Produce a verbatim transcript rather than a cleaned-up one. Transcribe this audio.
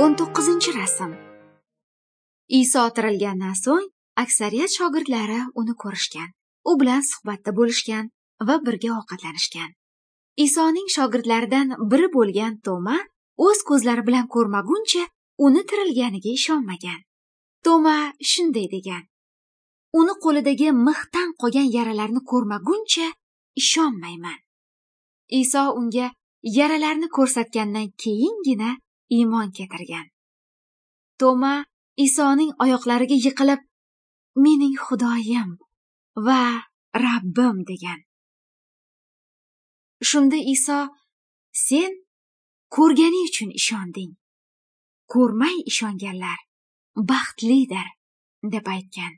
O'n to'qqizinchi rasm. Iso tirilgandan so'ng aksariyat shogirdlari uni ko'rishgan, u bilan suhbatda bo'lishgan va birga ovqatlanishgan. Isoning shogirdlaridan biri bo'lgan Toma o'z ko'zlari bilan ko'rmaguncha uni tirilganiga ishonmagan. Toma shunday degan: "Uni qo'lidagi mixdan qolgan yaralarni ko'rmaguncha ishonmayman." Iso unga yaralarni ko'rsatgandan keyingina iymon keltirgan. Toma Isoning oyoqlariga yiqilib, "Mening Xudoyim va Rabbim" degan. Shunda Iso: "Sen ko'rganing uchun ishonding. Ko'rmay ishonganlar baxtlidir" deb aytgan.